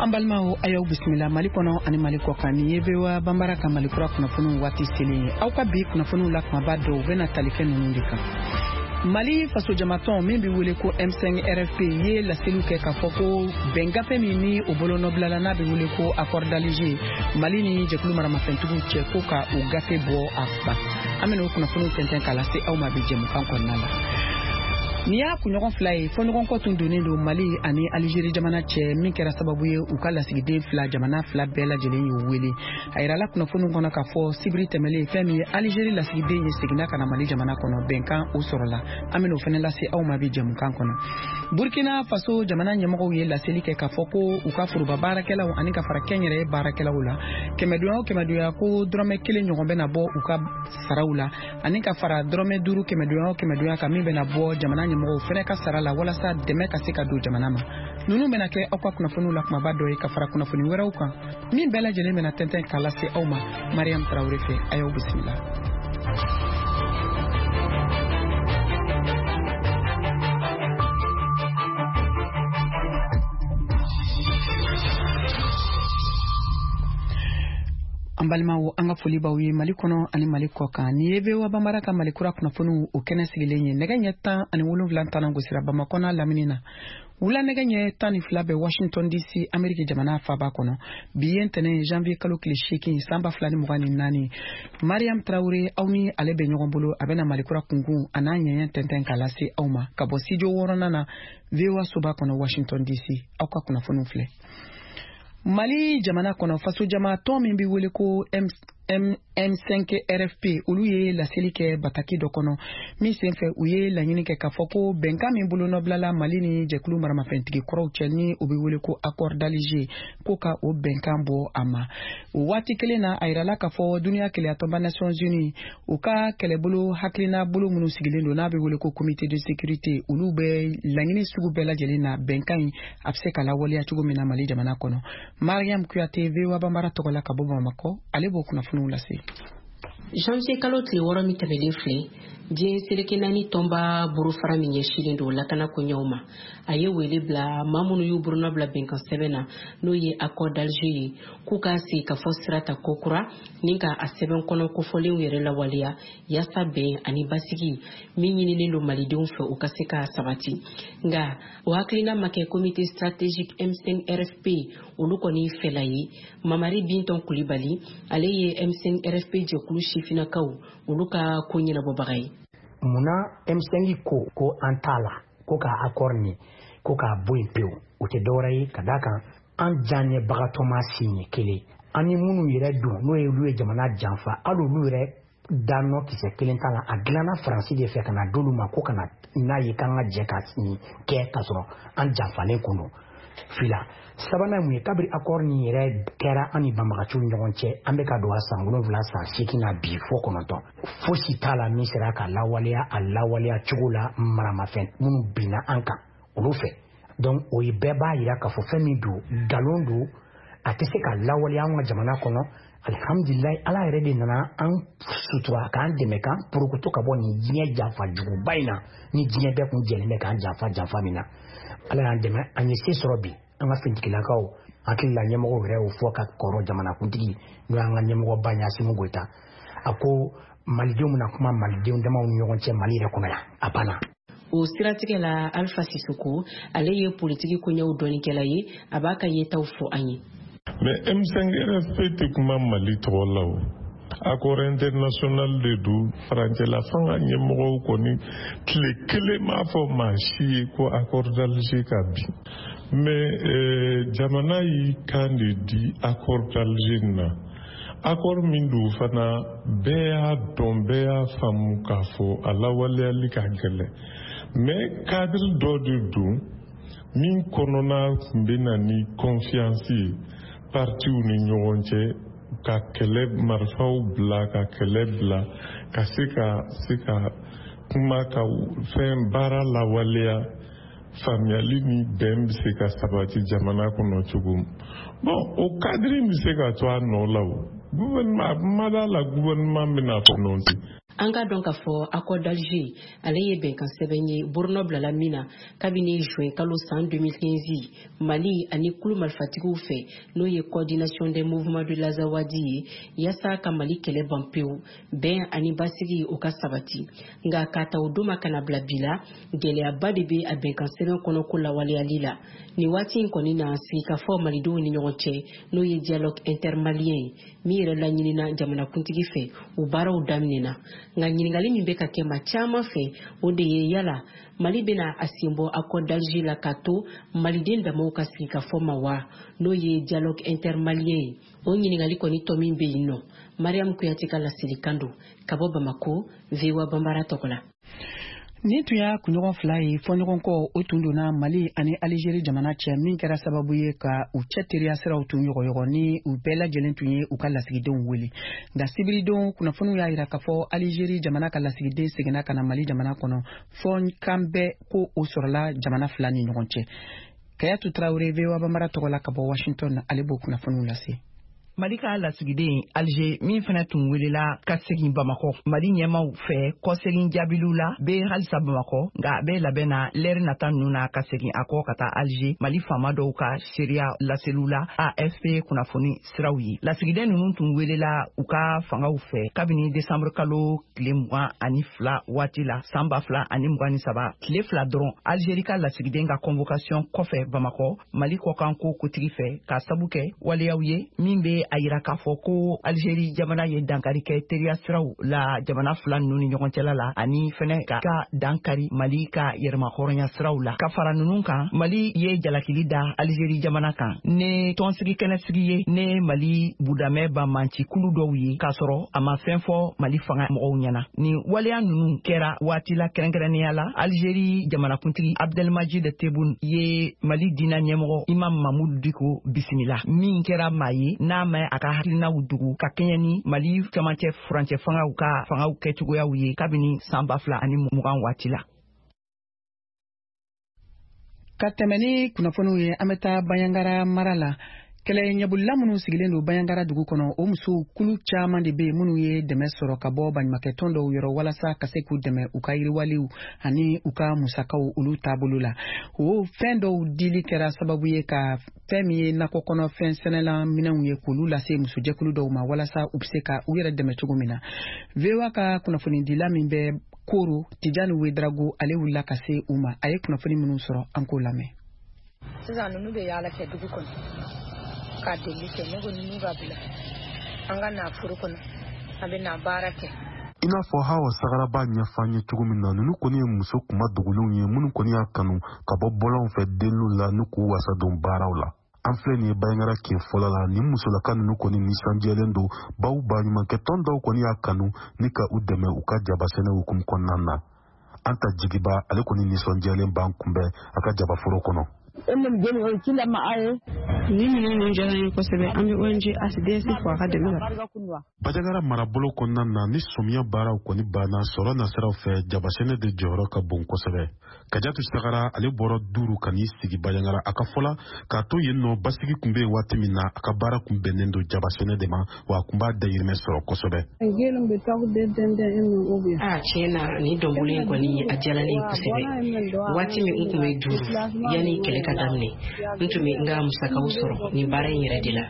An balimaw, a y'aw bisimila Mali kɔnɔ ani Mali kɔkan. Nin ye VOA Banbara ka Mali kura kunnafoniw waati selen ye. Aw ka bi kunnafoniw la kumaba dɔw bɛna tali kɛ ninnu de kan. Mali fasojamatɔn min bɛ wele ko M5 RFP ye laseliw kɛ k'a fɔ ko bɛn gafe min ni o bolonɔbilala, n'a bɛ wele ko accord d'Alger, Mali ni jɛkulu maramafɛntigiw cɛ, ko ka o gafe bɔ a ban. An bɛna o kunnafoniw tɛntɛn k'a lase aw ma bi jɛmukan kɔnɔna la. Nin y'a kunɲɔgɔn 2 ye, fɔɲɔgɔnkɔ tun donnen don Mali ani Alizeri jamana cɛ, min kɛra sababu ye u ka lasigiden fila, jamana fila bɛɛ lajɛlen y'u wele. A yirala kunnafoniw kɔnɔ k'a fɔ sibiri tɛmɛlen, fɛn min ye Alizeri lasigiden ye, seginna ka na Mali jamana kɔnɔ, bɛnkan o sɔrɔla. An bɛna o fɛnɛ lase aw ma bi jɛmukan kɔnɔ. Burkina Faso jamana ɲɛmɔgɔw ye laseli kɛ k'a fɔ ko u ka foroba baarakɛlaw ani ka fara kɛnyɛrɛye baarakɛlaw la, kɛmɛdonya o kɛmɛdonya, ko dɔrɔmɛ 1 ɲɔgɔn bɛna bɔ u ka saraw la, ani ka fara dɔrɔmɛ 5 kɛmɛdonya o kɛmɛdonya kan min bɛna bɔ jamana ɲɛmɔgɔw fɛnɛ ka sara la, walasa dɛmɛ ka se ka don jamana ma. Ninnu bɛna kɛ aw ka kunnafoniw la kumaba dɔ ye, ka fara kunnafoni wɛrɛw kan min bɛɛ lajɛlen bɛna tɛntɛn k'a lase aw ma Mariam Tarawele fɛ. A y'aw bisimila. An balimaw, an ka foli b'aw ye Mali kɔnɔ ani Mali kɔ kan. Nin ye VOA Banbara ka Mali kura kunnafoniw o kɛnɛ sigilen ye. Nɛgɛ ɲɛ 17 tanan gosira Bamakɔ n'a lamini na. Wula nɛgɛ ɲɛ 12 bɛ Washington DC, Ameriki jamana faaba kɔnɔ. Bi ye ntɛnɛn, janvier kalo tile 8, san 2024. Mariam Tarawele, aw ni ale bɛ ɲɔgɔn bolo. A bɛna Mali kura kunkun a n'a ɲɛɲɛ tɛntɛn k'a lase aw ma ka bɔ studio wɔɔrɔnan na, VOA soba kɔnɔ, Washington DC. Aw ka kunnafoniw filɛ. Mali jamana kɔnɔ, fasojama tɔn min bɛ wele ko M5 RFP, olu ye laseli kɛ bataki dɔ kɔnɔ min senfɛ u ye laɲini kɛ k'a fɔ ko bɛnkan min bolonɔbilala Mali ni jɛkulu maramafɛntigi kɔrɔw cɛ, ni o bɛ wele ko accord d'Alger, ko ka o bɛnkan bɔ a ma. O waati kelen na, a yirala k'a fɔ duniya kelenyatɔnba Nations Unies, u ka kɛlɛbolo hakilina bolo minnu sigilen don, n'a bɛ wele ko comité de sécurité, olu bɛ laɲini sugu bɛɛ lajɛlen na bɛnkan in a bɛ se ka lawaleya cogo min na Mali jamana kɔnɔ. Mariam Kuyate, VOA Banbara tɔgɔ la ka bɔ Bamakɔ, ale b'o kunnafoniw lase. Janvier kalo tile 6 min tɛmɛlen filɛ, diɲɛ seleke naani tɔnba bolofara min ɲɛsinnen don lakana koɲɛw ma, a ye wele bila maa minnu y'u bolonɔ bila bɛnkan sɛbɛn na, n'o ye accord d'Alger ye, k'u ka sigi ka fɔ sira ta kokura ni ka a sɛbɛn kɔnɔ kofɔlenw yɛrɛ lawaleya, yaasa bɛn ani basigi min ɲininen don malidenw fɛ, o ka se ka sabati. Nka o hakilina ma kɛ comité stratégique M5 RFP olu kɔni fɛla ye. Mamari Bintɔn Kulibali, ale ye M5 RFP jɛkulu sifinnakaw olu ka ko ɲɛnabɔbaga ye. Munna M5 ko ko an t'a la, ko ka accord nin ko k'a bɔ yen pewu? O tɛ dɔwɛrɛ ye ka d'a kan an diyaɲɛbagatɔ ma siɲɛ kelen, an ni minnu yɛrɛ don, n'o ye olu ye jamana janfa, hali olu yɛrɛ danɔ kisɛ kelen t'a la. A dilanna Faransi de fɛ ka na d'olu ma ko ka na n'a ye k'an ka jɛ ka nin kɛ, k'a sɔrɔ an janfalen kun don fila. Sabanan mun ye? Kabiri accord nin yɛrɛ kɛra an ni banbagaciw ni ɲɔgɔn cɛ, an bɛ ka don a san 7, san 8 na bi, fo 9, fosi t'a la min sera ka lawaleya a lawaleya cogo la maramafɛn minnu binna an kan olu fɛ. Donc o ye bɛɛ b'a yira k'a fɔ fɛn min don, nkalon don, a tɛ se ka lawaleya an ka jamana kɔnɔ. Alihamudulilayi, Ala yɛrɛ de nana an sutura k'an dɛmɛ k'an porokoto ka bɔ nin diɲɛ janfa juguba in na, ni diɲɛ bɛɛ kun jɛlen bɛ k'an janfa janfa min na. Ala y'an dɛmɛ, an ye se sɔrɔ bi. An ka finitigilakaw hakili la, ɲɛmɔgɔw yɛrɛ y'o fɔ ka kɔrɔ. Jamanakuntigi, n'o y'an ka ɲɛmɔgɔba ye, Asimi Goyita, a ko malidenw bɛna kuma malidenw damaw ni ɲɔgɔn cɛ Mali yɛrɛ kɔnɔ yan, a banna. O siratigɛ la, Alpha Sisoko, ale ye politiki koɲɛw dɔnnikɛla ye, a b'a ka yetaw fɔ an ye. Mais M5 RFP tɛ kuma Mali tɔgɔ la. O accord international de don. Farancɛla fanga ɲɛmɔgɔw kɔni tile kelen m'a fɔ maa si ye ko accord d'Alger ka bin. Mais jamana y'i kan de di accord d'Alger na. Accord min don fana, bɛɛ y'a dɔn, bɛɛ y'a faamu k'a fɔ a lawaleyali ka gɛlɛn. Mais cadre dɔ de don min kɔnɔna tun bɛ na ni confiance ye partiw ni ɲɔgɔn cɛ, ka kɛlɛ marifaw bila, ka kɛlɛ bila, ka se ka kuma, ka fɛn baara lawaleya, faamuyali ni bɛn bɛ se ka sabati jamana kɔnɔ cogo min. Bon, o cadre bɛ se ka to a nɔ la. O gouvernement, a ma d'a la gouvernement bɛna prononcer. An ka dɔn k'a fɔ accord d'Alger, ale ye bɛnkan sɛbɛn ye bolonɔ bilala min na kabini juin kalo san 2015 Mali ani kulu marifatigiw fɛ, n'o ye Coordination des mouvements de l'Azawad ye, yaasa ka Mali kɛlɛ ban pewu, bɛn ani basigi o ka sabati. Nka k'a ta o don ma ka na bila bi la, gɛlɛyaba de bɛ a bɛnkan sɛbɛn kɔnɔ ko lawaleyali la. Nin waati in kɔni na, sigikafɔ malidenw ni ɲɔgɔn cɛ, n'o ye dialogue intermalien ye min yɛrɛ laɲinina jamanakuntigi fɛ, o baaraw daminɛna. Nka ɲininkali min bɛ ka kɛ maa caman fɛ, o de ye yala Mali bɛna a sen bɔ accord d'Alger la k'a to maliden damaw ka sigikafɔ ma wa, n'o ye dialogue intermalien ye? O ɲininkali kɔni tɔ min bɛ yen nɔ, Mariam Kuyate ka laselikan don ka bɔ Bamako, VOA Banbara tɔgɔ la. Nin tun y'a kunɲɔgɔn 2 ye, fɔɲɔgɔnkɔ o tun donna Mali ani Alizeri jamana cɛ, min kɛra sababu ye ka u cɛ teriya siraw tun yɔgɔyɔgɔ ni u bɛɛ lajɛlen tun ye u ka lasigidenw wele. Nka sibiridon, kunnafoniw y'a yira k'a fɔ Alizeri jamana ka lasigiden seginna ka na Mali jamana kɔnɔ, fɔ kan bɛɛ ko o sɔrɔla jamana fila ni ɲɔgɔn cɛ. Kayatu Tarawele, VOA Banbara tɔgɔ la ka bɔ Washington, ale b'o kunnafoniw lase. Mali ka lasigiden Alger min fana tun welela ka segin Bamakɔ Mali ɲɛmaw fɛ kɔsegin jaabiliw la, bɛ halisa Bamakɔ, nka a bɛ labɛn na lɛri nata ninnu na ka segin a kɔ ka taa Alger, Mali faama dɔw ka seereya laseliw la AFP kunnafoni siraw ye. Lasigiden ninnu tun welela u ka fangaw fɛ kabini desanburu kalo tile 22 waati la san 2023, tile 2 dɔrɔn Algérie ka lasigiden ka convocation kɔfɛ Bamakɔ Mali kɔkanko kotigi fɛ, k'a sabu kɛ waleyaw ye min bɛ a yira k'a fɔ ko Algérie jamana ye dankari kɛ teriya siraw la jamana fila ninnu ni ɲɔgɔn cɛla la, ani fɛnɛ ka dankari Mali ka yɛrɛmahɔrɔnya siraw la. Ka fara ninnu kan, Mali ye jalakili da Algérie jamana kan ne tɔnsigi kɛnɛsigi ye ne Mali budamɛ banbanci kulu dɔw ye, k'a sɔrɔ a ma fɛn fɔ Mali fanga mɔgɔw ɲɛna. Nin waleya ninnu kɛra waati la kɛrɛnkɛrɛnnenya la Algérie jamanakuntigi Abdelmajid Tebboune ye Mali diinɛ ɲɛmɔgɔ Imam Mahmoud Dicko bisimila, min kɛra maa ye n'a ma a ka hakilinaw dogo ka kɛɲɛ ni Mali camancɛ furancɛ fangaw ka fangaw kɛcogoyaw ye kabini san 2020 waati la. Ka tɛmɛ ni kunnafoniw ye, an bɛ taa Banjagara mara la. Kɛlɛ ɲɛbolila minnu sigilen don Banjagara dugu kɔnɔ, o musow kulu caman de bɛ yen minnu ye dɛmɛ sɔrɔ ka bɔ baɲumankɛtɔn dɔw yɔrɔ walasa ka se k'u dɛmɛ u ka yiriwaliw ani u ka musakaw olu taabolo la. O fɛn dɔw dili kɛra sababu ye ka fɛn min ye nakɔ kɔnɔ fɛn sɛnɛla minɛnw ye, k'olu lase musojɛkulu dɔw ma walasa u bɛ se ka u yɛrɛ dɛmɛ cogo min na. VOA ka kunnafonidila min bɛ Koro, Tijani Wedrago, ale wulila ka se u ma. A ye kunnafoni minnu sɔrɔ, an k'o lamɛn. Sisan ninnu bɛ yaala kɛ dugu kɔnɔ ka deli kɛ. Ne ko ninnu ka bila an ka na foro kɔnɔ, an bɛ na baara kɛ. I n'a fɔ Hawa Sagara b'a ɲɛfɔ an ye cogo min na, ninnu kɔni ye muso kuma dogolenw ye minnu kɔni y'a kanu ka bɔ bɔlɔnw fɛ deliliw la ni k'u wasa don baaraw la. An filɛ nin ye Banjagara kin fɔlɔ la. Nin musolaka ninnu kɔni nisɔndiyalen don, baw baɲumankɛtɔn dɔw kɔni y'a kanu ni ka u dɛmɛ u ka jabasɛnɛ hukumu kɔnɔna na. An ta Jigiba, ale kɔni nisɔndiyalen b'an kunbɛn a ka jabaforo kɔnɔ. Ni minɛn ninnu diyara n ye kosɛbɛ. An bɛ ONG HDS fo a ka dɛmɛ la. Banjagara marabolo kɔnɔna na, ni sɔmiya baaraw kɔni banna, sɔrɔ nasiraw fɛ, jabasɛnɛ de jɔyɔrɔ ka bon kosɛbɛ. Kajatu Sagara, ale bɔra Duru ka n'i sigi Banjagara. A ka fɔla k'a to yen nɔ, basigi tun bɛ yen waati min na, a ka baara kun bɛnnen don jabasɛnɛ de ma, wa a kun b'a dayirimɛ sɔrɔ kosɛbɛ. A tiɲɛ na, nin dɔnbolo in kɔni a diyara ne ye kosɛbɛ. Waati min n tun bɛ Duru, yanni kɛlɛ ka daminɛ, n tun bɛ n ka musakaw sɔrɔ nin baara in yɛrɛ de la.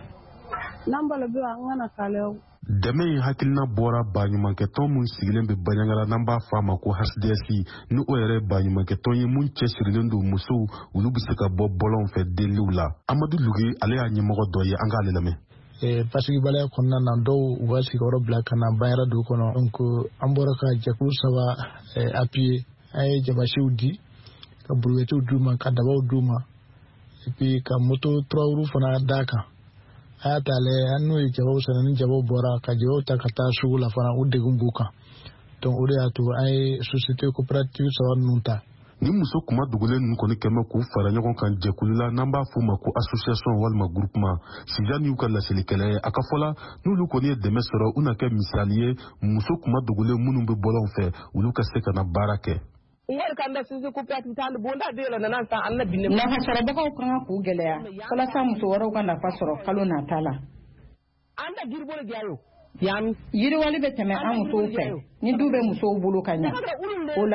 Dɛmɛ in hakilina bɔra baɲumankɛtɔn mun sigilen bɛ Banjagara, n'an b'a fɔ a ma ko HDS, ni o yɛrɛ ye baɲumankɛtɔn ye mun cɛsirilen don musow olu bɛ se ka bɔ bɔlɔnw fɛ deliliw la. Amadu Lugi, ale y'a ɲɛmɔgɔ dɔ ye, an k'ale lamɛn. Basigibaliya kɔnɔna na, dɔw u ka sigiyɔrɔ bila ka na Banjagara dugu kɔnɔ. Donc an bɔra ka jɛkulu 3 appuyer. An ye jabasiw di, ka brouettew d'u ma, ka dabaw d'u ma, et puis ka moto 3 roues fana d'a kan. A y'a ta lajɛ, an n'u ye jabaw sɛnɛ, ni jabaw bɔra ka jabaw ta ka taa sugu la fana, u degun b'u kan. Donc o de y'a to an ye société coopérative 3 ninnu ta. Ni muso kuma dogolen ninnu kɔni kɛmɛ k'u fara ɲɔgɔn kan jɛkulu la, n'an b'a f'u ma ko association walima groupement, Sijan y'u ka laselikɛla ye. A ka fɔ la, n'olu kɔni ye dɛmɛ sɔrɔ, u na kɛ misali ye muso kuma dogolen minnu bɛ bɔlɔnw fɛ, olu ka se ka na baara kɛ. Nafasɔrɔbagaw ka kan k'u gɛlɛya walasa muso wɛrɛw ka nafa sɔrɔ kalo nata la. Yan, yiriwali bɛ tɛmɛ an musow fɛ ni du bɛ musow bolo ka ɲɛ. O la,